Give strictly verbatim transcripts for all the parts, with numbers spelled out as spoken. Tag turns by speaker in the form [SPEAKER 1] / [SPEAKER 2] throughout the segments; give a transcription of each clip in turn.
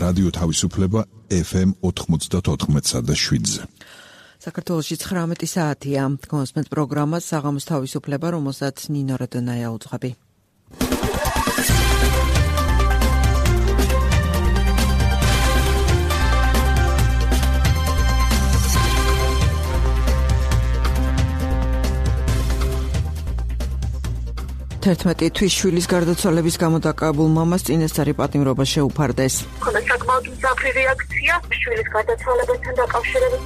[SPEAKER 1] რადიო თავისუფლება ეფ ემ ოთხმოცდაოთხ და შვიდზე.
[SPEAKER 2] საქართველოში ცხრამეტი საათია. გონსმენთ პროგრამა საღამოს თავისუფლება, რომელსაც ნინო რადონაია უძღვები. თერთმეტი თვის შვილის გარდაცვალების გამო დაკავებულ მამას წინასწარი პატიმრობა შეუფარდეს.
[SPEAKER 3] ხოდა საკმაოდ მძაფრი რეაქცია შვილის გარდაცვალებასთან დაკავშირებით.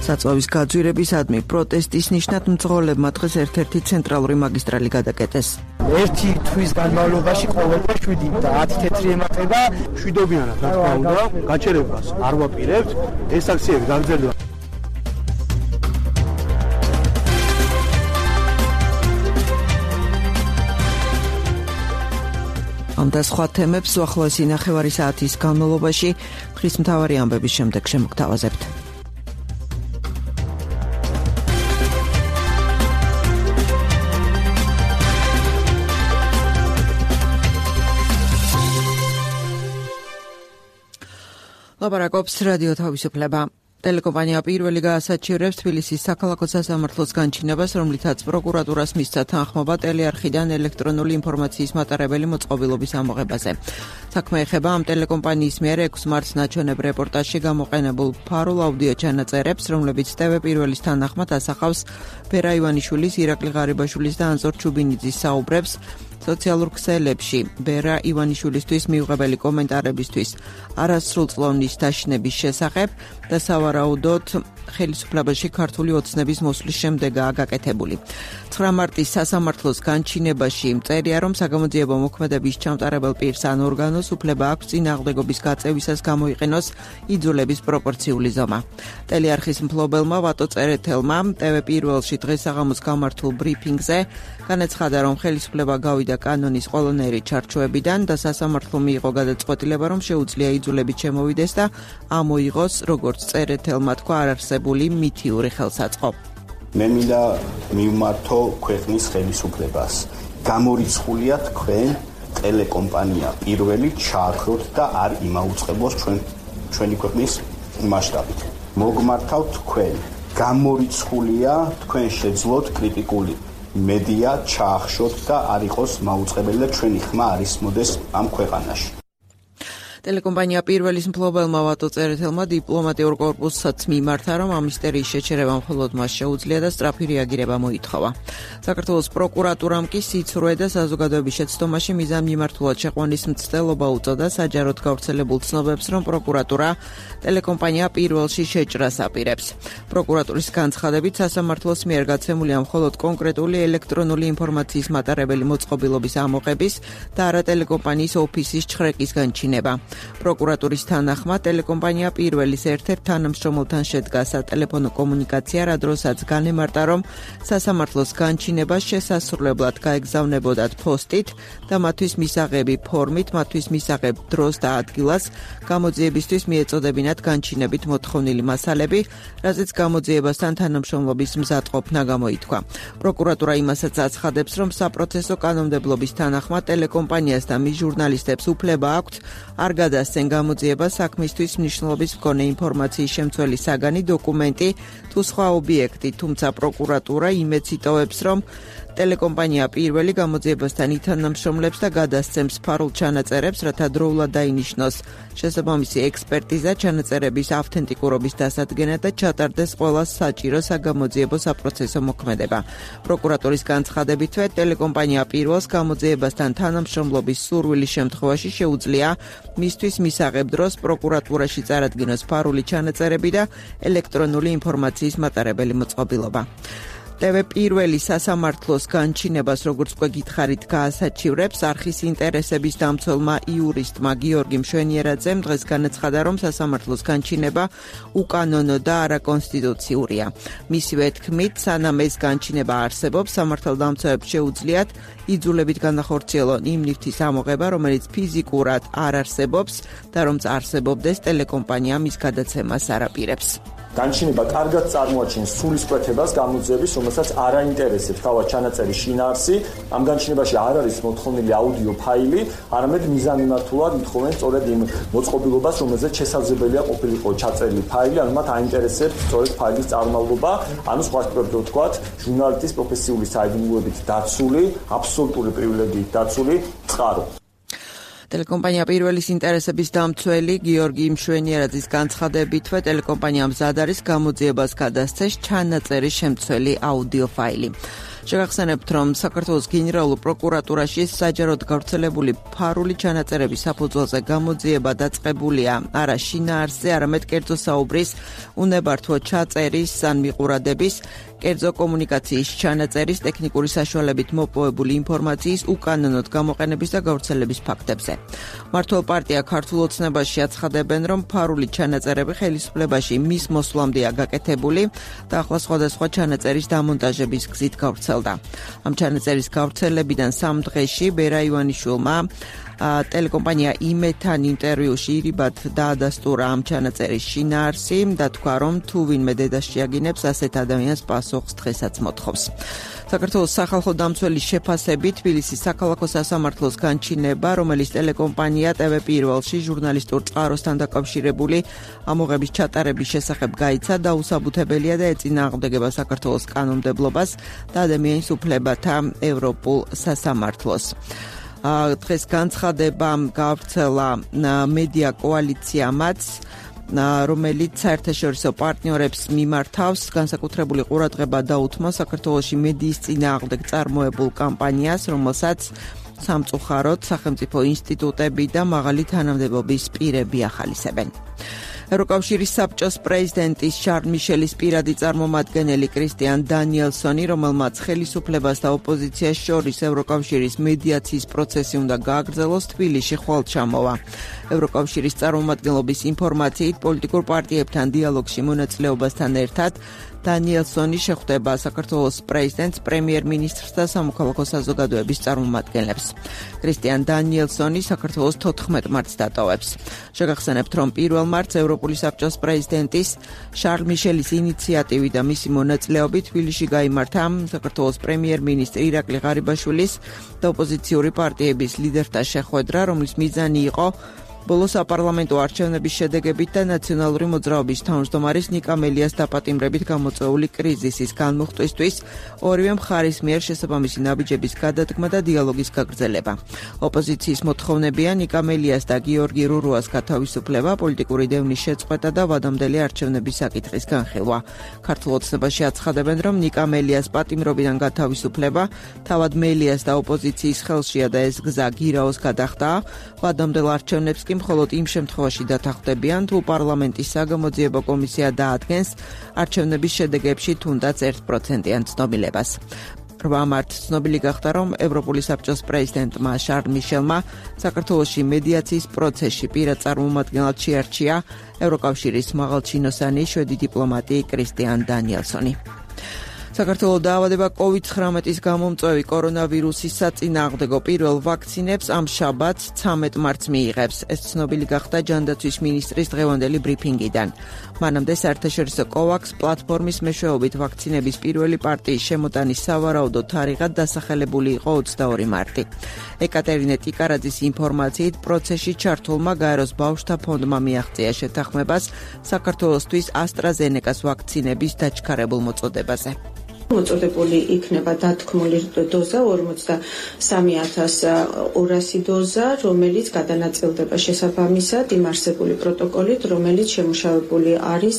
[SPEAKER 2] საწვავის გაძვირებისადმი პროტესტის ნიშნად მძღოლებმა დღეს ერთ-ერთი ცენტრალური მაგისტრალი გადაკეტეს.
[SPEAKER 4] ერთი თვის განმავლობაში ყოველდღე შვიდი და ათი თეთრი ემატება შვიდობიანად რა თქმა უნდა გაჩერებას არ ვაპირებთ ეს აქციები გაგრძელდება.
[SPEAKER 2] ამ და სხვა თემებს უახლოესი ნახევარი საათის განმავლობაში დღის მთავარი ამბების შემდეგ შემოგთავაზებთ. ლაპარაკობს რადიო თავისუფლება. ტელეკომპანია პირველი გაასაჩივრებს თბილისის საქალაქო სასამართლოს განჩინებას, რომლითაც პროკურატურას მისცა თანხმობა ტელეარხიდან ელექტრონული ინფორმაციის მატარებელი მოწყობილობის ამოღებაზე. საქმე ეხება ამ ტელეკომპანიის მიერ ექვსი მარტს ნაჩვენებ რეპორტაჟში გამოყენებულ ფარულ აუდიო ჩანაწერებს, რომლებიც ტევ პირველის თანახმად ასახავს ვერა ივანიშვილის, ირაკლი ღარიბაშვილის და ანზორ ჩუბინიძის საუბრებს სოციალურ ქსელებში ვერა ივანიშვილისთვის მიუღებელი კომენტარებისთვის არასრულწლოვნის დაშინების შესახებ და სავარაუდოდ ხელისუფლებაში ქართული ოცნების მოსვლის შემდეგაა გაკეთებული. ცხრა მარტის სასამართლოს განჩინებაში წერია, რომ საგამოძიებო მოქმედების ჩამტარებელ პირს ან ორგანოს უფლება აქვს წინააღმდეგობის გაწევისას გამოიყენოს იძულების პროპორციული ზომა. ტელეარხის მფლობელმა ვატო წერეთელმა ტევ პირველში დღეს საღამოს გამართულ ბრიფინგზე განაცხადა, რომ ხელისუფლება გავიდა კანონის ყველანაირი ჩარჩოებიდან და სასამართლომ მიიღო გადაწყვეტილება, რომ შეუძლია იძულებით შემოვიდეს და ამოიღოს, როგორც წერეთელმა თქვა, არარსებული მითიური ხელსაწყო.
[SPEAKER 5] მე მინდა მივმართო ქვეყნის ხელისუფლებას. გამორიცხულია თქვენ ტელეკომპანია პირველი ჩააქროთ და არ იმაუწყებოს ჩვენ ჩვენი ქვეყნის მასშტაბით. მოგმართავთ თქვენ. გამორიცხულია თქვენ შეძლოთ კრიტიკული მედია ჩაახშოთ და არ იყოს მაუწყებელი და ჩვენი ხმა არ ისმოდეს ამ ქვეყანაში.
[SPEAKER 2] ტელეკომპანია პირველის მფლობელმა ვატო წერეთელმა დიპლომატიურ კორპუსსაც მიმართა, რომ ამ ისტერიის შეჩერება მხოლოდ მას შეუძლია და სწრაფი რეაგირება მოითხოვა. საქართველოს პროკურატურამ კი სიცრუე და საზოგადოების შეცდომაში მიზანმიმართულად შეყვანის მცდელობა უწოდა საჯაროდ გავრცელებულ ცნობებს, რომ პროკურატურა ტელეკომპანია პირველში შეჭრას აპირებს. პროკურატურის განცხადებით სასამართლოს მიერ გაცემულია მხოლოდ კონკრეტული ელექტრონული ინფორმაციის მატარებელი მოწყობილობის ამოღების და არა ტელეკომპანიის ოფისის ჩხრეკის განჩინება. პროკურატურის თანახმად ტელეკომპანია პირველის ერთ-ერთ თანამშრომელთან შედგა სატელეფონო კომუნიკაცია, რა დროსაც განემარტა, რომ სასამართლოს განჩინებას შესასრულებლად გაეგზავნებოდათ პოსტით და მათთვის მისაღები ფორმით, მათთვის მისაღებ დროს და ადგილას გამოძიებისთვის მიეწოდებინათ განჩინებით მოთხოვნილი მასალები, რაზეც გამოძიებასთან თანამშრომლობის მზადყოფნა გამოითქვა. პროკურატურა იმასაც აცხადებს, რომ საპროცესო კანონმდებლობის თანახმად ტელეკომპანიას და მის ჟურნალისტებს უფლება აქვთ არ გადასცენ გამოძიება საქმისთვის მნიშვნელობის მქონე ინფორმაციის შემცველი საგანი, დოკუმენტი თუ სხვა ობიექტი, თუმცა პროკურატურა იმედს იტოვებს, რომ ტელეკომპანია პირველი გამოძიებასთან ითანამშრომლებს და გადასცემს ფარულ ჩანაწერებს, რათა დროულად დაინიშნოს შესაბამისი ექსპერტიზა, ჩანაწერების ავთენტიკურობის დასადგენად და ჩატარდეს ყველა საჭირო საგამოძიებო საპროცესო მოქმედება. პროკურატურის განცხადებითვე ტელეკომპანია პირველს გამოძიებასთან თანამშრომლობის სურვილის შემთხვევაში შეუძლია მისთვის მისაღებ დროს პროკურატურაში წარადგინოს ფარული ჩანაწერები და ელექტრონული ინფორმაციის მატარებელი მოწყობილობა. ტევ პირველი სასამართლოს განჩინებას, როგორც უკვე გითხარით, გაასაჩივრებს არხის ინტერესების დამცველმა იურისტმა გიორგი მშვენიერაძემ დღეს განაცხადა, რომ სასამართლოს განჩინება უკანონო და არაკონსტიტუციურია. მისივე თქმით, სანამ ეს განჩინება არსებობს, სამართალდამცავებს შეუძლიათ იძულებით განახორციელონ იმ ნივთის ამოღება, რომელიც ფიზიკურად არ არსებობს და რომც არსებობდეს ტელეკომპანია მის გადაცემას არ აპირებს.
[SPEAKER 6] განჩინება კარგად წარმოაჩენს სულისკვეთებას გამოძიების, რომელსაც არ აინტერესებს თავად ჩანაწერის შინაარსი. ამ განჩინებაში არ არის მოთხოვნილი აუდიო ფაილი, არამედ მიზანმიმართულად ითხოვენ სწორედ იმ მოწყობილობას, რომელზეც შესაძლებელია ყოფილიყო ჩაწერილი ფაილი, ანუ მათ აინტერესებს სწორედ ფაილის წარმომავლობა, ანუ სხვა სიტყვებით ვთქვათ, ჟურნალისტის პროფესიული საიდუმლოებით დაცული, აბსოლუტური პრივილეგიით დაცული წყარო.
[SPEAKER 2] ტელეკომპანია პირველის ინტერესების დამცველი გიორგი მშვენიერაძის განცხადებითვე ტელეკომპანია მზად არის გამოძიებას გადასცეს ჩანაწერის შემცველი აუდიო ფაილი. შეგახსენებთ, რომ საქართველოს გენერალურ პროკურატურაში საჯაროდ გავრცელებული ფარული ჩანაწერების საფუძველზე გამოძიება დაწყებულია არა შინაარსზე, არამედ კერძო საუბრის, უნებართვო ჩაწერის ან მიყურადების, კერძო კომუნიკაციის ჩანაწერის, ტექნიკური საშუალებით მოპოვებული ინფორმაციის უკანონოდ გამოყენების და გავრცელების ფაქტებზე. მმართველ პარტია ქართულ ოცნებაში აცხადებენ, რომ ფარული ჩანაწერები ხელისუფლებაში მის მოსვლამდეა გაკეთებული და ახლა სხვადასხვა ჩანაწერის დამონტაჟების გზით გავრცელდა. ამ ჩანაწერის გავრცელებიდან სამ დღეში ბერა ივანიშვილმა ტელეკომპანია იმედთან ინტერვიუში ირიბად დაადასტურა ამ ჩანაწერის შინაარსი და თქვა, რომ თუ ვინმე დედას შეაგინებს, ასეთ ადამიანს პასუხს დღესაც მოთხოვს. საქართველოს სახალხო დამცველის შეფასებით თბილისის საქალაქო სასამართლოს განჩინება, რომელიც ტელეკომპანია ტე ვე პირველში ჟურნალისტურ წყაროსთან დაკავშირებული ამოღების ჩატარების შესახებ გაიცა, დაუსაბუთებელია და ეწინააღმდეგება საქართველოს კანონმდებლობას და ადამიანის უფლებათა ევროპულ სასამართლოს. დღეს განცხადება გავრცელა მედია კოალიციამაც, რომელიც საერთაშორისო პარტნიორებს მიმართავს, განსაკუთრებული ყურადღება დაუთმო საქართველოში მედიის წინააღმდეგ წარმოებულ კამპანიას, რომელსაც სამწუხაროდ სახელმწიფო ინსტიტუტები და მაღალი თანამდებობის პირები ახალისებენ. ევროკავშირის საბჭოს პრეზიდენტის შარლ მიშელის პირადი წარმომადგენელი კრისტიან დანიელსონი, რომელმაც ხელისუფლებას და ოპოზიციას შორის ევროკავშირის მედიაციის პროცესი უნდა გააგრძელოს, თბილისში ხვალ ჩამოვა. ევროკავშირის წარმომადგენლობის ინფორმაციით, პოლიტიკურ პარტიებთან დიალოგში მონაწილეობასთან ერთად დანიელსონი შეხვდება საქართველოს პრეზიდენტს, პრემიერ-მინისტრს და სამოქალაქო საზოგადოების წარმომადგენლებს. კრისტიან დანიელსონი საქართველოს თოთხმეტ მარტს დატოვებს. შეგახსენებთ, რომ პირველ მარტს ევროპული საბჭოს პრეზიდენტის შარლ მიშელის ინიციატივით და მისი მონაწილეობით თბილისში გაიმართა საქართველოს პრემიერ-მინისტრი ირაკლი ღარიბაშვილის და ოპოზიციური პარტიების ლიდერთა შეხვედრა, რომლის მიზანი იყო ბოლო საპარლამენტო არჩევნების შედეგებით და ნაციონალური მოძრაობის თავმჯდომარის ნიკა მელიას დაპატიმრებით გამოწვეული კრიზისის განმუხტვისთვის ორივე მხარის მიერ შესაბამისი ნაბიჯების გადადგმა და დიალოგის გაგრძელება. ოპოზიციის მოთხოვნებია ნიკა მელიას და გიორგი რურუას გათავისუფლება, პოლიტიკური დევნის შეწყვეტა და ვადამდელი არჩევნების საკითხის განხილვა. ქართულ ოცნებაში აცხადებენ, რომ ნიკა მელიას პატიმრობიდან გათავისუფლება თავად მელიას და ოპოზიციის ხელშია და ეს გზა გირაოს გადახდა. ვადამდელ არჩევნებს მხოლოდ იმ შემთხვევაში დათანხმდებიან, თუ პარლამენტის საგამოძიებო კომისია დაადგენს არჩევნების შედეგებში თუნდაც ერთ პროცენტიან ცნობილებას. რვა მარტს ცნობილი გახდა, რომ ევროპული საბჭოს პრეზიდენტმა შარლ მიშელმა საქართველოში მედიაციის პროცესში პირად წარმომადგენლად შეარჩია ევროკავშირის მაღალჩინოსანი შვედი დიპლომატი კრისტიან დანიელსონი. საქართველოს დაავადება კოვიდ ცხრამეტის გამომწვევი კორონავირუსის საწინააღმდეგო პირველ ვაქცინებს ამ შაბათს ცამეტ მარტს მიიღებს. ეს ცნობილი გახდა ჯანდაცვის მინისტრის დღევანდელი ბრიფინგიდან. მანამდე საერთაშორისო კოვაქს პლატფორმის მეშვეობით ვაქცინების პირველი პარტიის შემოტანის სავარაუდო თარიღად დასახელებული იყო ოცდაორი მარტი. ეკატერინე ტიკარაძის ინფორმაციით, პროცესში ჩართულმა გაეროს ბავშვთა ფონდმა მიაღწია შეთანხმებას საქართველოსთვის ასტრაზენეკას ვაქცინების დაჩქარებულ მოწოდებაზე.
[SPEAKER 7] მოწოდებული იქნება დათქმული დოზა ორმოცდასამი ათას ორასი დოზა, რომელიც გადანაწილდება შესაბამისად იმ არსებული პროტოკოლით, რომელიც შემუშავებული არის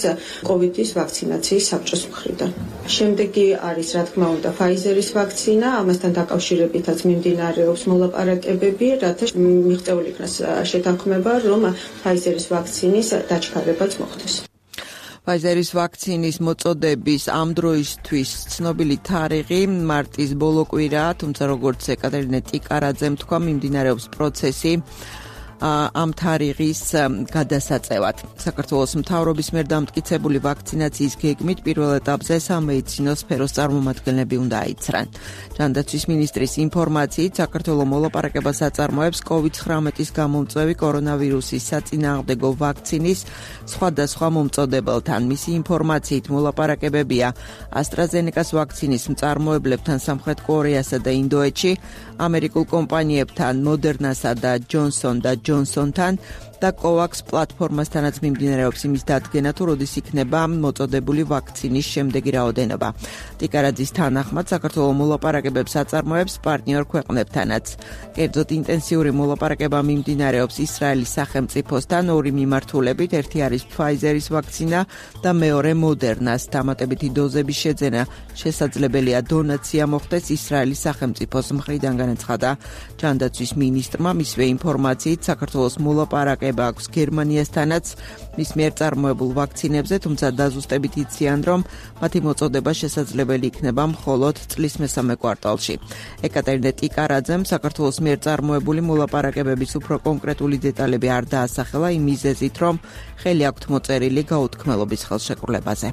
[SPEAKER 7] კოვიდის ვაქცინაციის საბჭოს მხრიდან. შემდეგი არის, რა თქმა უნდა, ფაიზერის ვაქცინა, ამასთან დაკავშირებითაც მიმდინარეობს მოლაპარაკებები, რათა მიღწეული იქნას შეთანხმება, რომ ფაიზერის ვაქცინის დაჩქარებაც მოხდეს.
[SPEAKER 2] ფაიზერის ვაქცინის მოწოდების ამ დროისთვის ცნობილი თარიღი მარტის ბოლო კვირაა, თუმცა როგორც ეკატერინე ტიკარაძემ თქვა, მიმდინარეობს პროცესი ამ თარიღის გადასაწევად. საქართველოს მთავრობის მიერ დამტკიცებული ვაქცინაციის გეგმით პირველ ეტაპზე სამედიცინო სფეროს წარმომადგენლები უნდა აიცრან. ჯანდაცვის მინისტრის ინფორმაციით, საქართველოს მოლაპარაკებას აწარმოებს კოვიდ ცხრამეტის გამომწვევი კორონავირუსის საწინააღმდეგო ვაქცინის სხვადასხვა მომწოდებელთან. მისი ინფორმაციით მოლაპარაკებებია AstraZeneca-ს ვაქცინის მწარმოებლებთან სამხრეთ კორეასა და ინდოეთში, ამერიკულ კომპანიებთან Moderna-სა და Johnson და Johnson-თან და COVAX პლატფორმასთანაც მიმდინარეობს იმის დადგენა, თუ როდის იქნება მოწოდებული ვაქცინის შემდეგი რაოდენობა. ტიკარაძის თანახმად, საქართველოს მოლაპარაკებებს აწარმოებს პარტნიორ ქვეყნებთანაც. კერძოდ ინტენსიური მოლაპარაკება მიმდინარეობს ისრაელის სახელმწიფოსთან ორი მიმართულებით, ერთი არის Pfizer-ის ვაქცინა და მეორე Moderna-ს. დამატებითი დოზების შეძენა შესაძლებელია დონაცია მოხდეს ისრაელის სახელმწიფოს მხრიდან, განაცხადა ჯანდაცვის მინისტრმა. მისვე ინფორმაციით, საქართველოს მოლაპარაკება აქვს გერმანიასთანაც მის მიერ წარმოებულ ვაქცინებზე, თუმცა დაზუსტებით იციან, რომ მათი მოწოდება შესაძლებელი იქნება მხოლოდ წლის მესამე კვარტალში. ეკატერინე ტიკარაძემ საქართველოს მიერ წარმოებული მოლაპარაკებების უფრო კონკრეტული დეტალები არ დაასახელა იმ მიზეზით, რომ ხელი აქვთ მოწერილი გაუთქმელობის ხელშეკრულებაზე.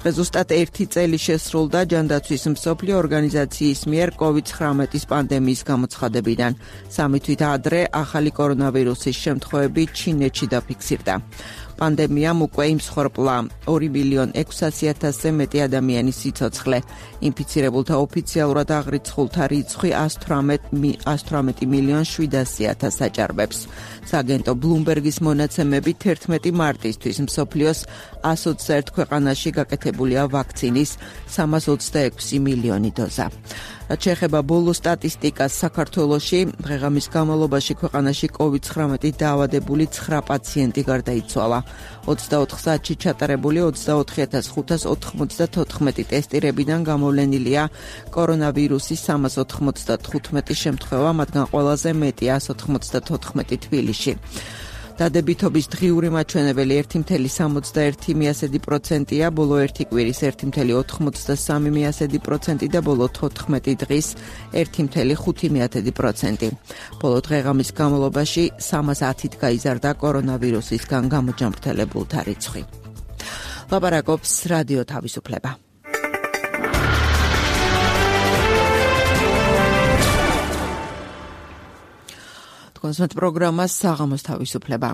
[SPEAKER 2] ზუსტად ერთი წელი შესრულდა ჯანდაცვის მსოფლიო ორგანიზაციის მიერ კოვიდ ცხრამეტის პანდემიის გამოცხადებიდან. სამი თვით ადრე ახალი კორონავირუსის შემთხვევები ჩინეთში დაფიქსირდა. პანდემიამ უკვე იმსხვრპლა ორი მილიონ ექვსასი ათასზე მეტი ადამიანის სიცოცხლე. ინფიცირებულთა ოფიციალურად აღრიცხულთა რიცხვი ათს თვრამეტი მილიონ შვიდასი ათასს აჭარბებს. სააგენტო ბლუმბერგის მონაცემებით თერთმეტი მარტისთვის მსოფლიოს εκατს ოცდაერთ ქვეყანაში გაკეთებულია ვაქცინის სამას ოცდაექვსი მილიონი დოზა. რაც შეეხება ბოლო სტატისტიკას, საქართველოში დღე-ღამის განმავლობაში ქვეყანაში კოვიდ ცხრამეტით დაავადებული ცხრა პაციენტი გარდაიცვალა. ოცდაოთხ საათში ჩატარებული ოცდაოთხი ათას ხუთას ოთხმოცდათოთხმეტი ტესტირებიდან გამოვლენილია კორონავირუსის სამას ოთხმოცდათხუთმეტი შემთხვევა, მათგან ყველაზე მეტი εκατს ოთხმოცდათოთხმეტი თბილისში. დადებითობის დღიური მაჩვენებელი ერთი მცდე სამოცდაერთი პროცენტია, ბოლო ერთი კვირის ერთი მცდე ოთხმოცდასამი პროცენტი და ბოლო თოთხმეტი დღის ერთი მცდე ხუთი პროცენტი. ბოლო დღე-ღამის განმავლობაში სამას ათით გაიზარდა კორონავირუსისგან გამოჯამრთელებულთა რიცხვი. ლაპარაკობს რადიო თავისუფლება. კონსერტ პროგრამას საღამოს თავისუფლება.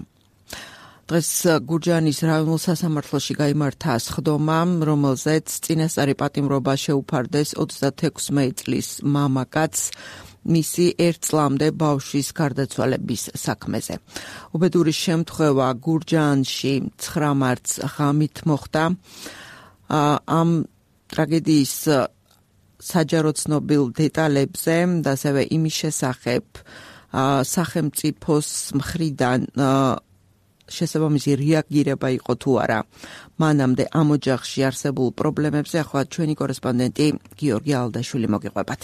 [SPEAKER 2] დღეს გურჯაანის რაიონულ სასამართლოში გაიმართა სხდომა, რომელზეც წინასწარი პატიმრობა შეუფარდეს ოცდათექვსმეტ წლის მამაკაცს მისი ერთ წლამდე ბავშვის გარდაცვალების საქმეზე. უბედური შემთხვევა გურჯაანში ცხრა მარტს ღამით მოხდა. ამ ტრაგედიის საჯარო ცნობილ დეტალებზე და ასევე იმის შესახებ სახელმწიფოს მხრიდან შესაბამისი რეაგირება იყო თუ არა მანამდე ამ ოჯახში არსებულ პრობლემებზე. ახლა ჩვენი კორესპონდენტი გიორგი ალდაშვილი მოგიყვებათ.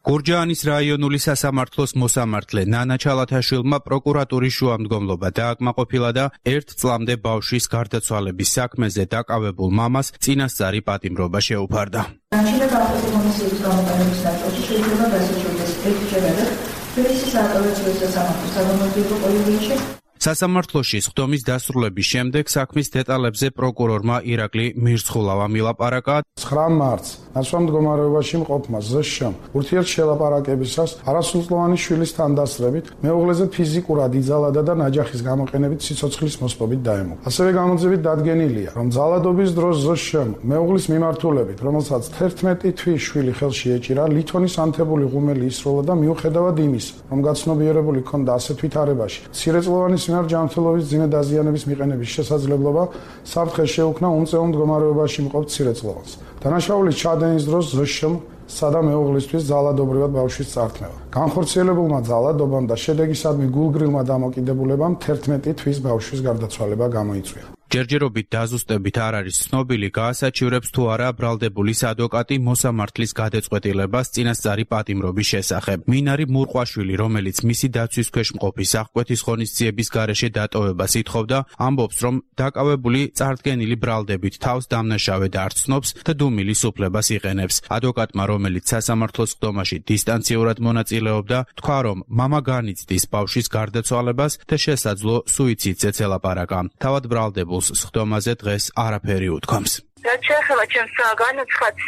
[SPEAKER 8] გურჯაანის რაიონული სასამართლოს მოსამართლე ნანა ჩალათაშვილმა პროკურატურის შუამდგომლობა დააკმაყოფილა და ერთ წლამდე ბავშვის გარდაცვალების საქმეზე დაკავებულ მამას წინასწარი პატიმრობა შეუფარდა.
[SPEAKER 9] განჩინება ავტოკომისიის გამოყენების ნაწილში შეიძლება გასაჩვენდეს ექჩერება თბილისის აპელაციურ სასამართლოს საგამოძიებო კოლეგიაში.
[SPEAKER 8] სასამართლოში სხდომის დასრულების შემდეგ საქმის დეტალებზე პროკურორმა ირაკლი მირცხულავა მილაპარაკა.
[SPEAKER 10] ცხრა მარტს ნაცვლად მდგომარეობაში მყოფმა ზშ-მ ურთიერთშელაპარაკებისას არასრულწლოვანი შვილის თანდასწრებით მეუღლეზე ფიზიკურად იძალადა და ნაჯახის გამოყენებით სიცოცხლის მოსპობით დაემუქრა. ასევე გამოძიებით დადგენილია, რომ ძალადობის დროს ზშ-მ მეუღლის მიმართულებით, რომელსაც თერთმეტი თვის შვილი ხელში ეჭირა, ლითონის ანთებული ღუმელი ისროლა და მიუხედავად იმისა, რომ გაცნობიერებული ჰქონდა ასეთ ვითარებაში, მცირეწლოვანი სიმართლე ჯანმრთელობის ძიმე დაზიანების მიყენების შესაძლებლობა, საფრთხე შეუქმნა უმწეულ მდგომარეობაში მყოფ მცირეწლოვანს. დანაშაულის ჩადენის დროს ზშ-მ სადა მეუღლისთვის ძალადობრივად ბავშვის წართმევა. განხორციელებულმა ძალადობამ და შედეგისადმი გულგრილმა დამოკიდებულებამ თერთმეტი თვის ბავშვის გარდაცვალება გამოიწვია.
[SPEAKER 8] ჯერჯერობით დაზუსტებით არ არის ცნობილი, გაასაჩივრებს თუ არა ბრალდებულის ადვოკატი მოსამართლის გადაწყვეტილებას წინასწარი პატიმრობის შესახებ. მინარი მურყვაშვილი, რომელიც მისი დაცვის ქვეშ მყოფი სახკვეთის ღონისძიების გარეშე დატოვებას ითხოვდა, ამბობს, რომ დაკავებული წარდგენილი ბრალდებით თავს დამნაშავედ არ ცნობს და დუმილის უფლებას იყენებს. ადვოკატმა, რომელიც სასამართლოს სხდომაში დისტანციურად მონაწილეობდა, თქვა, რომ მამა განიცდის ბავშვის გარდაცვალებას და შესაძლო სუიციდზეც ელაპარაკა. თავად ბრალდებულს სხდომაზე დღეს არაფერი უთქვამს.
[SPEAKER 3] რაც შეეხება ჩემს განაცხადს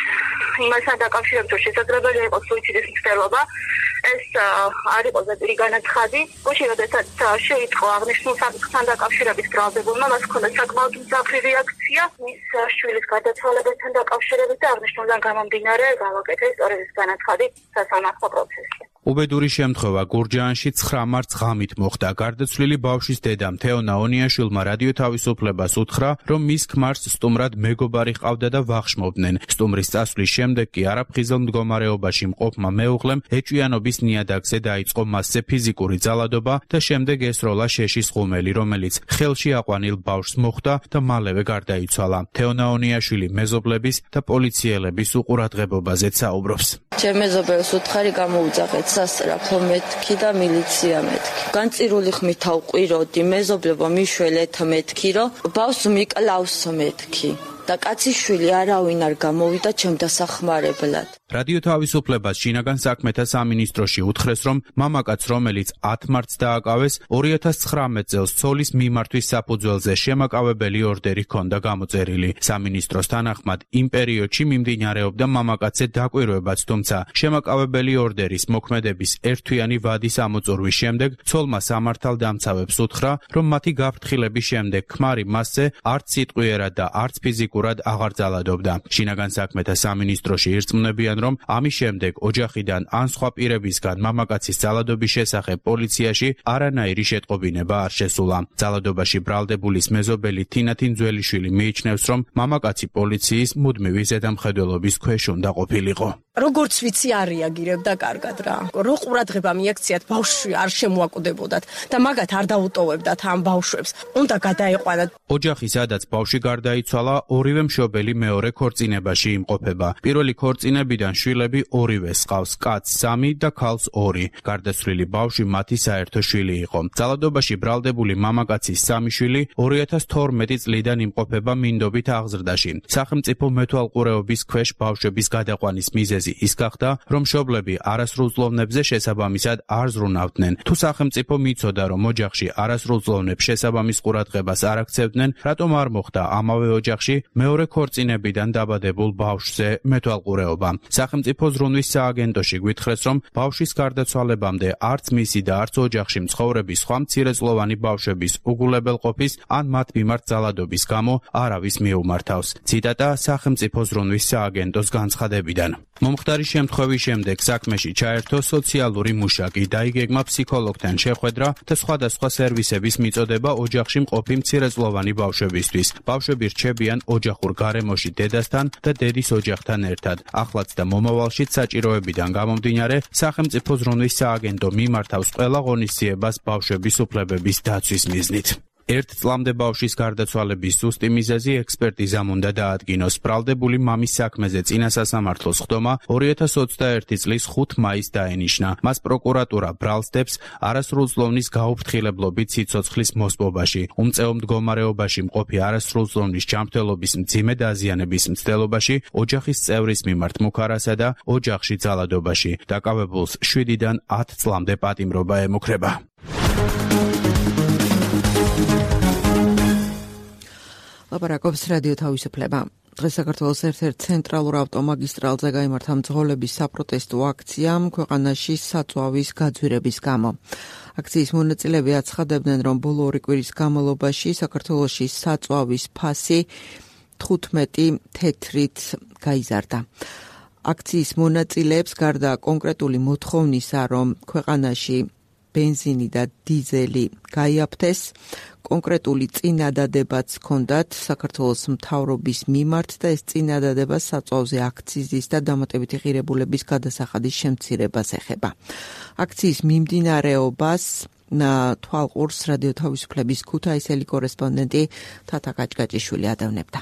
[SPEAKER 3] იმასთან დაკავშირებით, რომ შესაძლებელი იყოს სუიციდის მცდელობა, ეს არ იყო ზეპირი განაცხადი. გუშინ როდესაც შეიტყო აღნიშნულ საკითხთან დაკავშირებით ბრალდებულმა, მას ჰქონდა საკმაოდ მძაფრი რეაქცია მის შვილის გარდაცვალებასთან დაკავშირებით და აღნიშნულიდან გამომდინარე გავაკეთე სწორედ ეს განაცხადი სასამართლო პროცესში.
[SPEAKER 8] უბედური შემთხვევა გურჯაანში ცხრა მარტს ღამით მოხდა. გარდაცვლილი ბავშვის დედამ თეონა ონიაშვილმა რადიო თავისუფლებას უთხრა, რომ მის ქმარს სტუმრად მეგობარი ჰყავდა და ვახშმობდნენ. სტუმრის წასვლის შემდეგ კი არაფხიზელ მდგომარეობაში მყოფმა მეუღლემ ეჭვიანობის ნიადაგზე დაიწყო მასზე ფიზიკური ძალადობა და შემდეგ ესროლა შეშის ღუმელი, რომელიც ხელში აყვანილ ბავშვს მოხვდა და მალევე გარდაიცვალა. თეონა ონიაშვილი მეზობლების და პოლიციელების უყურადღებობაზეც საუბრობს.
[SPEAKER 11] ჩემ მეზობელს უთხარი გამოუძახეთ სასწრაფო მეთქი და მილიცია მეთქი. განწირული ხმით ავყვიროდი, მეზობლებო მიშველეთ მეთქი, რომ ბავშვს მიკლავს მეთქი. და კაცის შვილი არავინ არ გამოვიდა ჩემ დასახმარებლად.
[SPEAKER 8] რადიო თავისუფლებას შინაგან საქმეთა სამინისტროში უთხრეს, რომ მამაკაც, რომელიც ათ მარტს დააკავეს, ორი ათას ცხრამეტ წელს ცოლის მიმართვის საფუძველზე შემაკავებელი ორდერი ჰქონდა გამოწერილი. სამინისტროს თანახმად იმ პერიოდში მიმდინარეობდა მამაკაცზე დაკვირვებაც, თუმცა შემაკავებელი ორდერის მოქმედების ერთთვიანი ვადის ამოწურვის შემდეგ ცოლმა სამართალდამცავებს უთხრა, რომ მათი გაფრთხილების შემდეგ ქმარი მასზე არც სიტყვიერად და არც ფიზიკურად აღარ ძალადობდა. შინაგან საქმეთა სამინისტროში ირწმუნებიან, რომ ამის შემდეგ ოჯახიდან ან სხვა პირებისგან მამაკაცის ძალადობის შესახებ პოლიციაში არანაირი შეტყობინება არ შესულა. ძალადობაში ბრალდებულის მეზობელი თინა თინძველიშვილი მიიჩნევს, რომ მამაკაცი პოლიციის მუდმივი ზედამხედველობის ქვეშ უნდა ყოფილიყო.
[SPEAKER 12] როგორც ვიცი არ რეაგირებდა კარგად რა. რო ყურადღება მიაქციათ ბავშვი არ შემოაკვდებოდათ და მაგათ არ დაუტოვებდათ ამ ბავშვებს. უნდა გადაეყვანათ.
[SPEAKER 8] ოჯახი, სადაც ბავშვი გარდაიცვალა, ორივე მშობელი მეორე ქორწინებაში იმყოფება. პირველი ქორწინებიდან შვილები ორივე ჰყავს, კაცს სამი და ქალს ორი. გარდაცვლილი ბავშვი მათი საერთო შვილი იყო. ძალადობაში ბრალდებული მამაკაცის სამი შვილი ორი ათას თორმეტი წლიდან იმყოფება მინდობით აღზრდაში. სახელმწიფო მეთვალყურეობის ქვეშ ბავშვების გადაყვანის მიზეზი ის გახდა, რომ მშობლები არასრულ ზლოვნებზე შესაბამისად არ ზრუნავდნენ. თუ სახელმწიფო მიცოდა, რომ ოჯახში არასრულ ზლოვნებს შესაბამის ყურადღებას არ აქცევდნენ, რატომ არ მოხდა ამავე ოჯახში მეორე ქორწინებიდან დაბადებულ ბავშვზე მეთვალყურეობა? სახელმწიფო ზრუნვის სააგენტოში გვითხრეს, რომ ბავშვის გარდაცვალებამდე არც მისი და არც ოჯახში მცხოვრების სხვა მცირეწლოვანი ბავშვების უგულებელყოფის ან მათ მიმართ ძალადობის გამო არავის მიუმართავს. ციტატა სახელმწიფო ზრუნვის სააგენტოს განცხადებიდან. მომხდარი შემთხვევის შემდეგ საქმეში ჩაერთო სოციალური მუშაკი, დაიგეგმა ფსიქოლოგთან შეხვედრა და სხვადასხვა სერვისების მიწოდება ოჯახში მყოფი მცირეწლოვანი ბავშვებისთვის. ბავშვები რჩებიან ოჯახურ გარემოში დედასთან და დედის ოჯახთან ერთად. ახლაც და მომავალშიც საჭიროებიდან გამომდინარე, სახელმწიფო ზრუნვის სააგენტო მიმართავს ყველა ღონისძიებას ბავშვების უფლებების დაცვის მიზნით. ერთ წლამდე ბავშვის გარდაცვალების ზუსტი მიზეზი ექსპერტიზამ უნდა დაადგინოს. ბრალდებული მამის საქმეზე წინა სასამართლოს სხდომა ორი ათას ოცდაერთი წლის ხუთ მაისს დაენიშნა. მას პროკურატურა ბრალსდებს არასრულწლოვნის გაუფრთხილებლობით სიცოცხლის მოსპობაში, უმწეო მდგომარეობაში მყოფი არასრულწლოვნის ჯანმრთელობის მძიმე დაზიანების მცდელობაში, ოჯახის წევრის მიმართ მუქარასა და ოჯახში ძალადობაში. დაკავებულს შვიდიდან ათ წლამდე პატიმრობა ემუქრება.
[SPEAKER 2] ლაპარაკობს რადიო თავისუფლება. დღეს საქართველოს ერთ-ერთ ცენტრალურ ავტომაგისტრალზე გაიმართა მძღოლების საპროტესტო აქციამ ქვეყანაში საწვავის გაძვირების გამო. აქციის მონაწილეები აცხადებდნენ, რომ ბოლო ორი კვირის განმავლობაში საქართველოში საწვავის ფასი თხუთმეტი თეთრით გაიზარდა. აქციის მონაწილეებს გარდა კონკრეტული მოთხოვნისა, რომ ქვეყანაში ბენზინი და დიზელი გაიაფთეს, კონკრეტული წინადადებაც ჰქონდათ საქართველოს მთავრობის მიმართ და ეს წინადადება საწვავზე აქციზის და დამატებითი ღირებულების გადასახადის შემცირებას ეხება. აქციის მიმდინარეობას თვალყურს რადიო თავისუფლების ქუთაისელი კორესპონდენტი თათა კაჭკაჭიშვილი ადევნებდა.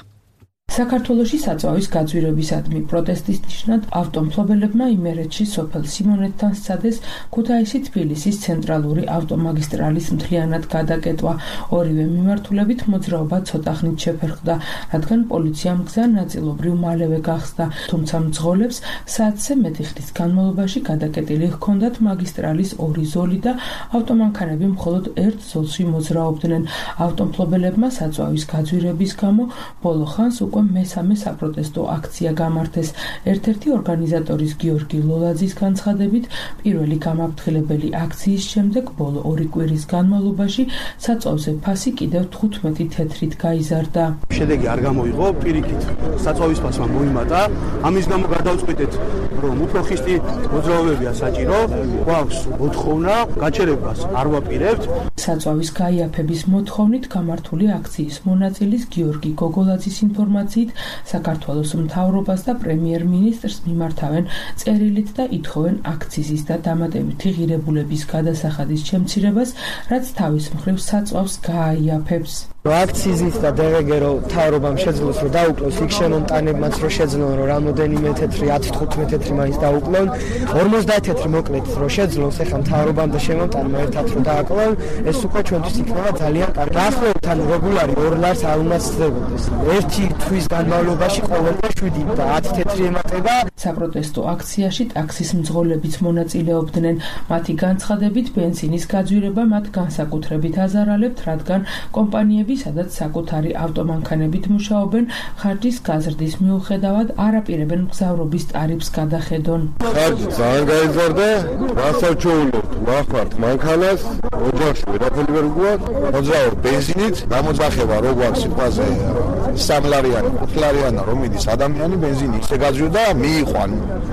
[SPEAKER 13] საქართველოში საწვავის გაძვირებისადმი პროტესტის ნიშნად ავტომფლობელებმა იმერეთში სოფელ სიმონეთთან სცადეს ქუთაისი-თბილისის ცენტრალური ავტომაგისტრალის მთლიანად გადაკეტვა. ორივე მიმართულებით მოძრაობა ცოტა ხნით შეფერხდა, რადგან პოლიციამ გზა ნაწილობრივ მალევე გახსნა, თუმცა მძღოლებს საათზე მეტი ხნის განმავლობაში გადაკეტილი ჰქონდათ მაგისტრალის ორი ზოლი და ავტომანქანები მხოლოდ ერთ ზოლში მოძრაობდნენ. ავტომფლობელებმა საწვავის გაძვირების გამო ბოლო ხანს უკვე მესამე საპროტესტო აქცია გამართეს. ერთ-ერთი ორგანიზატორის გიორგი ლოლაძის განცხადებით, პირველი გამაფრთხილებელი აქციის შემდეგ ბოლო ორი კვირის განმავლობაში საწვავზე ფასი კიდევ თხუთმეტი თეთრით გაიზარდა.
[SPEAKER 4] შედეგი არ გამოიღო, პირიქით საწვავის ფასმა მოიმატა. ამის გამო გადავწყვიტეთ, რომ უფრო ხისტი მოძრაობებია საჭირო, გვაქვს მოთხოვნა გაჩერებას არ ვაპირებთ.
[SPEAKER 13] საწვავის გაიაფების მოთხოვნით გამართული აქციის მონაწილის გიორგი გოგოლაძის ინფორმაციით საქართველოს მთავრობას და პრემიერ-მინისტრს მიმართავენ წერილით და ითხოვენ აქციზის და დამატებითი ღირებულების გადასახადის შემცირებას, რაც თავის მხრივ საწვავს გააიაფებს.
[SPEAKER 14] აქციზით და დევეგერო მთავრობამ შეძლოს რომ დაუკლოს იქ შემონტანებმაც რომ შეძლონ რომ რამოდენიმე თეთრი ათი თხუთმეტი თეთრი მაინც დაუკლონ ორმოცდაათი თეთრი მოკლედ რომ შეძლოს ეხლა მთავრობამ და შემონტანებმა ერთად რომ დააკლონ ეს უკვე ჩვენთვის იქნება ძალიან კარგი. ახლობთ ან რეგულარი ორ ლარს არ უნდა სცდებოდეს. ერთი თვის განმავლობაში ყოველდღე შვიდი და ათი თეთრი ემატება.
[SPEAKER 13] საპროტესტო აქციაში ტაქსის მძღოლებიც მონაწილეობდნენ. მათი განცხადებით ბენზინის გაძვირება მათ განსაკუთრებით აზარალებთ, რადგან კომპანიები სადაც საკუთარი ავტომანქანებით მუშაობენ, ხარჯის გაზრდის მიუხედავად არ აპირებენ მგზავრობის ტარიფს გადახედონ.
[SPEAKER 15] ხარჯი ძალიან გაიზარდა, გასაჩოულობთ ვახმართ მანქანას, ოჯახში ვერაფერი ვერ გვაქვს, მოძრაობ ბენზინით, გამოძახება რო გვაქვს სიტყვაზე სამლარიანი, ხუთლარიანი რომ მიდის ადამიანი ბენზინი ისე გაძვირდა, მიიყვან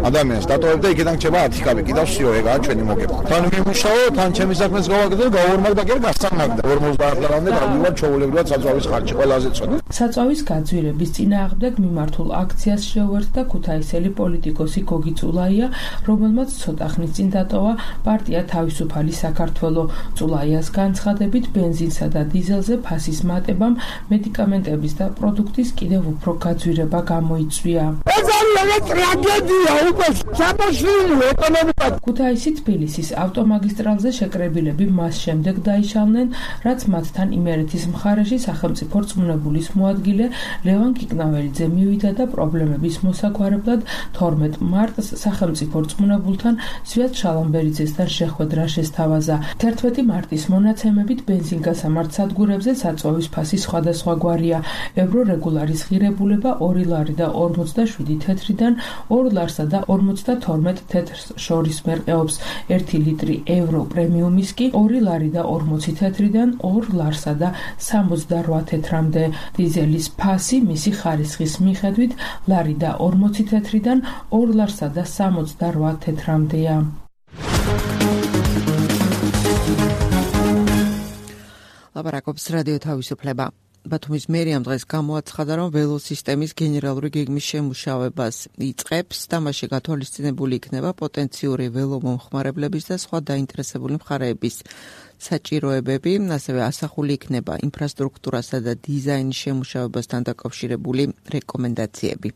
[SPEAKER 15] ადამიანს დატოვებ და იქიდან რჩება ათი კაბი, კიდევ სიო ეგაა ჩვენი მოგება. თან მიმუშაო, თან ჩემი საქმეს გავაკეთე, გავორმაგდა და გასწამაგდა. ორმოცდაათ ლარამდე გავდივარ ჩაულ საწვავის ხარჯი ყველაზე წონა.
[SPEAKER 13] საწვავის გაძვირების წინააღმდეგ მიმართულ აქციას შეუერთდა ქუთაისელი პოლიტიკოსი გოგი წულაია, რომელმაც ცოტა ხნის წინ დატოვა პარტია თავისუფალი საქართველო. წულაიას განცხადებით, ბენზინსა და დიზელზე ფასის მატებამ მედიკამენტების და პროდუქტის კიდევ უფრო გაძვირება გამოიწვია.
[SPEAKER 14] ეს არის ტრაგედია უკვე სამოშლილი ეკონომიკა.
[SPEAKER 13] ქუთაისი-თბილისის ავტომაგისტრალზე შეკრებილები მას შემდეგ დაიშალნენ, რაც მათთან იმერეთის მხარეში სახელმწიფო რწმუნებულის მოადგილე ლევან კიკნაველიძე მივიდა და პრობლემების მოსაგვარებლად თორმეტ მარტს სახელმწიფო რწმუნებულთან სვიად შალამბერიძესთან შეხვედრა შესთავაზა. თერთმეტი მარტის მონაცემებით ბენზინგასამართ სადგურებზე საწვავის ფასი სხვადასხვაგვარია. ევრო რეგულარის ღირებულება ორი ლარი და ორმოცდაშვიდი თეთრიდან ორ ლარსა და ორმოცდათორმეტ თეთრს შორის მერყეობს. ერთი ლიტრი ევრო პრემიუმის კი ორი ლარი და ორმოცი თეთრიდან ორ ლარსა და სამოცდარვა თეთრამდე. დიზელის ფასი მისი ხარისხის მიხედვით ლარი და ორმოცი თეთრიდან ორ ლარსა და სამოცდარვა თეთრამდეა.
[SPEAKER 2] ლაპარაკობს რადიო თავისუფლება. ბათუმის მერიამ დღეს გამოაცხადა, რომ ველოსისტემის გენერალური გეგმის შემუშავებას იწყებს და მასში გათვალისწინებული იქნება პოტენციური ველომომხმარებლების და სხვა დაინტერესებული მხარეების საჭიროებები, ასევე ასახული იქნება ინფრასტრუქტურასა და დიზაინის შემუშავებასთან დაკავშირებული რეკომენდაციები.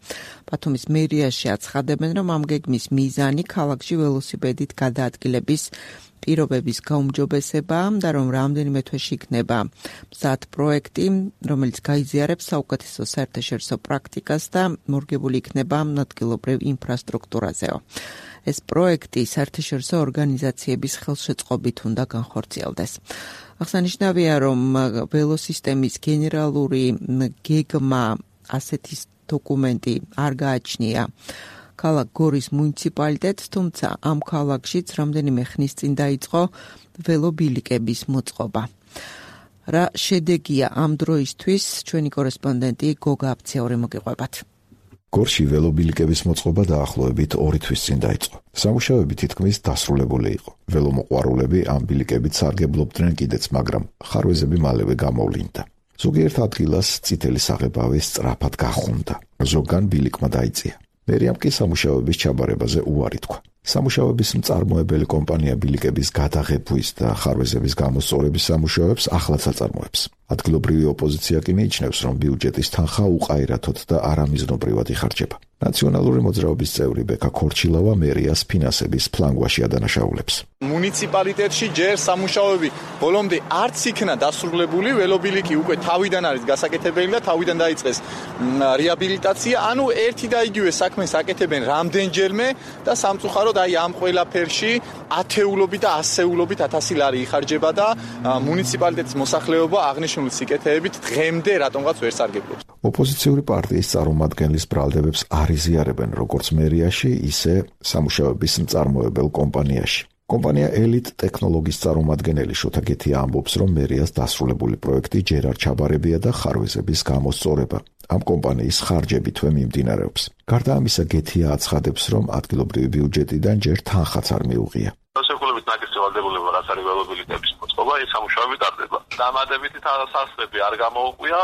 [SPEAKER 2] ბათუმის მერიაში აცხადებენ, რომ ამ გეგმის მიზანი ქალაქში ველოსიპედით გადაადგილების პირობების გაუმჯობესება და რომ რამდენიმე თვეში იქნება მზად პროექტი, რომელიც გაიზიარებს საუკეთესო საერთაშორისო პრაქტიკას და მორგებული იქნება ადგილობრივ ინფრასტრუქტურაზეო. ეს პროექტი საერთაშორისო ორგანიზაციების ხელშეწყობით უნდა განხორციელდეს. აღსანიშნავია, რომ ველოსისტემის გენერალური გეგმა ასეთი დოკუმენტი არ გააჩნია ქალაქ გორის მუნიციპალიტეტს, თუმცა ამ ქალაქშიც რამდენიმე ხნის წინ დაიწყო ველობილიკების მოწყობა. რა შედეგია ამ დროისთვის, ჩვენი კორესპონდენტი გოგა აფციური მოგიყვებათ.
[SPEAKER 1] გორში ველობილიკების მოწყობა დაახლოებით ორი თვის წინ დაიწყო. სამუშაოები თითქმის დასრულებული იყო. ველომოყვარულები ამ ბილიკებით სარგებლობდნენ კიდეც, მაგრამ ხარვეზები მალევე გამოვლინდა. ზოგიერთ ადგილას წითელი საღებავი სწრაფად გახუნდა. ზოგან ბილიკმა დაიწია. მერიამ კი სამუშაოების ჩაბარებაზე უარი თქვა. სამუშაოების მწარმოებელი კომპანია ბილიკების გადაღებვის და ხარვეზების გამოსწორების სამუშაოებს ახლაც აწარმოებს. ადგილობრივი ოპოზიცია კი მიიჩნევს, რომ ბიუჯეტის თანხა უყაირათოდ და არამიზნობრივად იხარჯება. ნაციონალური მოძრაობის წევრი ბექა ქორჩილავა მერიას ფინანსების ფლანგვაში ადანაშაულებს.
[SPEAKER 16] მუნიციპალიტეტში ჯერ სამუშაოები ბოლომდე არც იქნა დასრულებული, ველობილიკი უკვე თავიდან არის გასაკეთებელი და თავიდან დაიწყეს რეაბილიტაცია, ანუ ერთი და იგივე საქმეს აკეთებენ რამდენჯერმე და სამწუხაროდ აი ამ ყველაფერში ათეულობით და ასეულობით ათასი ლარი იხარჯება და მუნიციპალიტეტის მოსახლეობა აღნიშნული სიკეთეებით დღემდე რატომღაც ვერ სარგებლობს.
[SPEAKER 1] ოპოზიციური პარტიის წარმომადგენლის ბრალდებებს არ იზიარებენ როგორც მერიაში, ისე სამუშაოების მწარმოებელ კომპანიაში. კომპანია ელიტ ტექნოლოგიის წარმომადგენელი შოთა გეთია ამბობს, რომ მერიას დასრულებული პროექტი ჯერ არ ჩაბარებია და ხარვეზების გამოსწორება ამ კომპანიის ხარჯებითვე მიმდინარეობს. გარდა ამისა, გეთია აცხადებს, რომ ადგილობრივი ბიუჯეტიდან ჯერ თანხაც არ მიუღია.
[SPEAKER 17] ხელისუფლებით ნაკისრი ვალდებულება, რაც არის ველობილიტების მოწყობა, ეს სამუშაოები ტარდება. დამატებითი თანხასწრები არ გამოუყვია.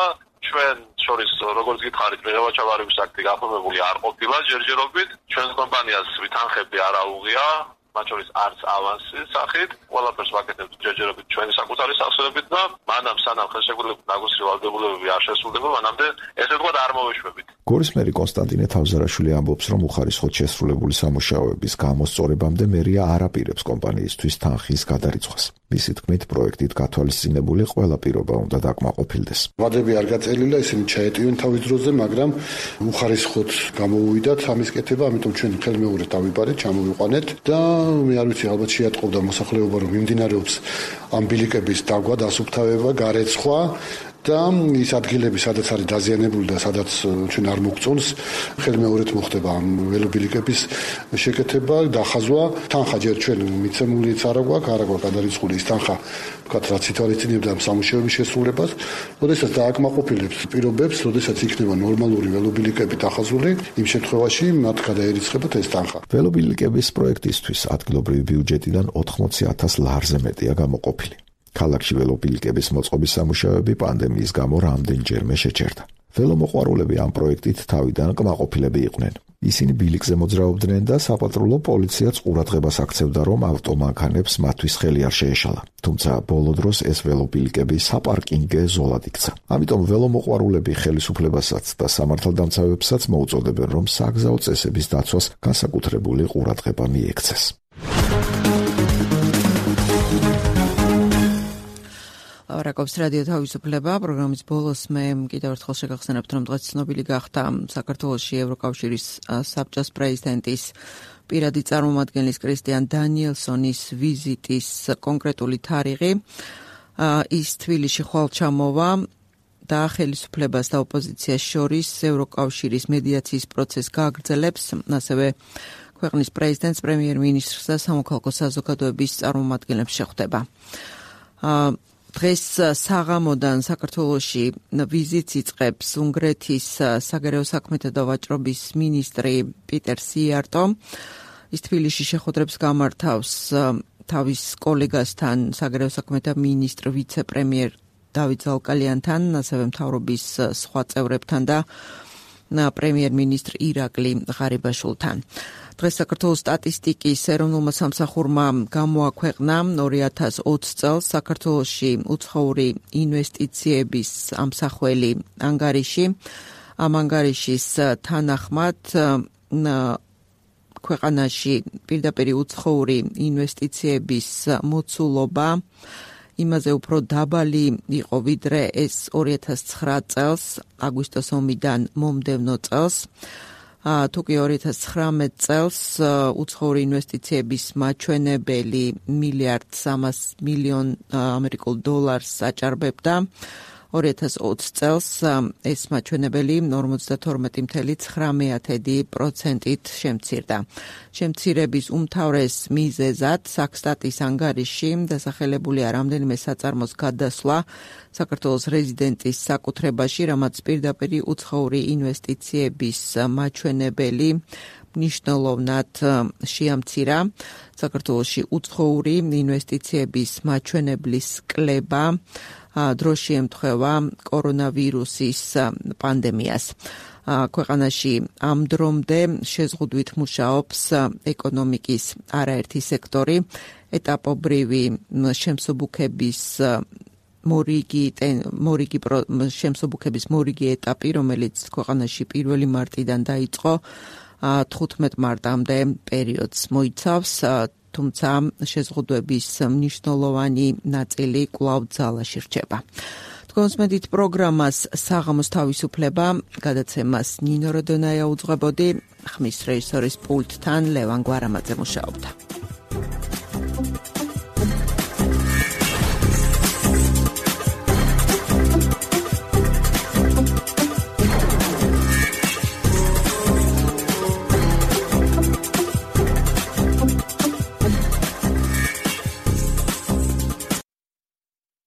[SPEAKER 17] ჩვენ შორის როგორც გითხარით, მიღება-ჩაბარების აქტი გაფორმებული არ ყოფილა ჯერჯერობით. ჩვენს კომპანიას თანხები არ აუღია, მათ შორის არც ავანსის სახით. ყველაფერს ვაკეთებთ ჯერჯერობით ჩვენი საკუთარი სახსრებით და მანამ სანამ ხელშეკრულებული ნაკისრი ვალდებულებები არ შესრულდება, მანამდე ესე ვთქვათ არ მოვეშვებით.
[SPEAKER 1] გორის მერი კონსტანტინე თავზარაშვილი ამბობს, რომ უხარისხოდ შესრულებული სამუშაოების გამოსწორებამდე მერია არ აპირებს კომპანიისთვის თანხის გადარიცხვას. მისი თქმით, პროექტით გათვალისწინებული ყველა პირობა უნდა დაკმაყოფილდეს.
[SPEAKER 18] ვადები არ გაწერილა, ისინი ჩაეტივენ თავის დროზე, მაგრამ უხარისხოდ გამოუვიდათ ამის კეთება, ამიტომ ჩვენ ხელმეუღრეთ დავიბარეთ, ჩამოვიყვანეთ და მე არ ვიცი, ალბათ შეატყობდა მოსახლეობა, რომ მიმდინარეობს ამ ბილიკების დაგვა, დასუფთავება, გარეცხვა და ის ადგილები, სადაც არის დაზიანებული და სადაც ჩვენ არ მოგწონს, ხელმეუღრეთ მოხდება ამ ველობილიკების შეკეთება, დახაზვა. თანხა ჯერ ჩვენ მიცემულიც არა გვაქვს, არა გვაქვს გადარიცხული ის თანხა, ვთქვათ, რაც ითვალისწინებდა ამ სამუშაოების შესრულებას. როდესაც დააკმაყოფილებს პირობებს, როდესაც იქნება ნორმალური ველობილიკები დახაზული, იმ შემთხვევაში მათ გადაერიცხებათ ეს თანხა.
[SPEAKER 1] ველობილიკების პროექტისთვის ადგილობრივი ბიუჯეტიდან ოთხმოცი ათას ლარზე მეტია გამოყოფილი. ქალაქში ველობილიკების მოწყობის სამუშაოები პანდემიის გამო რამდენჯერმე შეჩერდა. ველომოყვარულები ამ პროექტით თავიდან კმაყოფილები იყვნენ. ისინი ბილიკზე მოძრაობდნენ და საპატრულო პოლიციაც ყურადღებას აქცევდა, რომ ავტომანქანებს მათთვის ხელი არ შეეშალა. თუმცა ბოლო დროს ეს ველობილიკები საპარკინგე ზოლად იქცა. ამიტომ ველომოყვარულები ხელისუფლებასაც და სამართალდამცავებსაც მოუწოდებენ, რომ საგზაო წესების დაცვას განსაკუთრებული ყურადღება მიექცეს.
[SPEAKER 2] ლავრაკობს რადიო თავისუფლება პროგრამის ბოლოს მე კიდევ ერთხელ შეგახსენებთ, რომ დღეს ცნობილი გახდა საქართველოში ევროკავშირის საბჭოს პრეზიდენტის პირადი წარმომადგენლის კრისტიან დანიელსონის ვიზიტის კონკრეტული თარიღი. ის თბილისში ხვალ ჩამოვა და ხელისუფლებას და ოპოზიციას შორის ევროკავშირის მედიაციის პროცესს გააგრძელებს, ასევე ქვეყნის პრეზიდენტს, პრემიერ-მინისტრს და სამოქალაქო საზოგადოების წარმომადგენლებს შეხვდება. დღეს საღამოდან საქართველოში ვიზიტს იწყებს უნგრეთის საგარეო საქმეთა და ვაჭრობის მინისტრი პიტერ სიარტო. ის თბილისში შეხვედრებს გამართავს თავის კოლეგასთან, საგარეო საქმეთა მინისტრ ვიცე-პრემიერ დავით ზალკალიანთან, ასევე მთავრობის სხვა წევრებთან და პრემიერ-მინისტრ ირაკლი ღარიბაშვილთან. დღეს საქართველოს სტატისტიკის ეროვნულმა სამსახურმა გამოაქვეყნა ორი ათას ოცი წელს საქართველოში უცხოური ინვესტიციების ამსახველი ანგარიში. ამ ანგარიშის თანახმად ქვეყანაში პირდაპირ უცხოური ინვესტიციების მოცულობა იმაზე უფრო დაბალი იყო, ვიდრე ეს ორი ათას ცხრა წელს, აგვისტოს ომიდან მომდევნო წელს. თუკი ორი ათას ცხრამეტ წელს უცხოური ინვესტიციების მაჩვენებელი მილიარდ სამას მილიონ ამერიკულ დოლარს აჭარბებდა, ორი ათას ოცი წელს ეს მაჩვენებელი ორმოცდათორმეტი წუთი ცხრა პროცენტით შემცირდა. შემცირების უმთავრეს მიზეზად საქსტატის ანგარიში დასახელებულია რამდენიმე საწარმოს გადასვლა საქართველოს რეზიდენტის საკუთრებაში, რამაც პირდაპირ უცხოური ინვესტიციების მაჩვენებელი მნიშვნელოვნად შეამცირა. საქართველოში უცხოური ინვესტიციების მაჩვენებლის კლება დროში ემთხვევა კორონავირუსის პანდემიას. ქვეყანაში ამ დრომდე შეზღუდვით მუშაობს ეკონომიკის არაერთი სექტორი, ეტაპობრივი შემსუბუქების მორიგი მორიგი შემსუბუქების მორიგი ეტაპი, რომელიც ქვეყანაში პირველი მარტიდან დაიწყო, თხუთმეტ მარტამდე პერიოდს მოიცავს, თუმცა შეზღუდვების მნიშვნელოვანი ნაწილი კვლავ ძალაში რჩება. თქვენს მედით პროგრამას საღამოს თავისუფლება გადაცემას ნინო როდონაია უძღვებოდი, ხმის რეჟისორის პულტთან ლევან გვარამაძე მუშაობდა.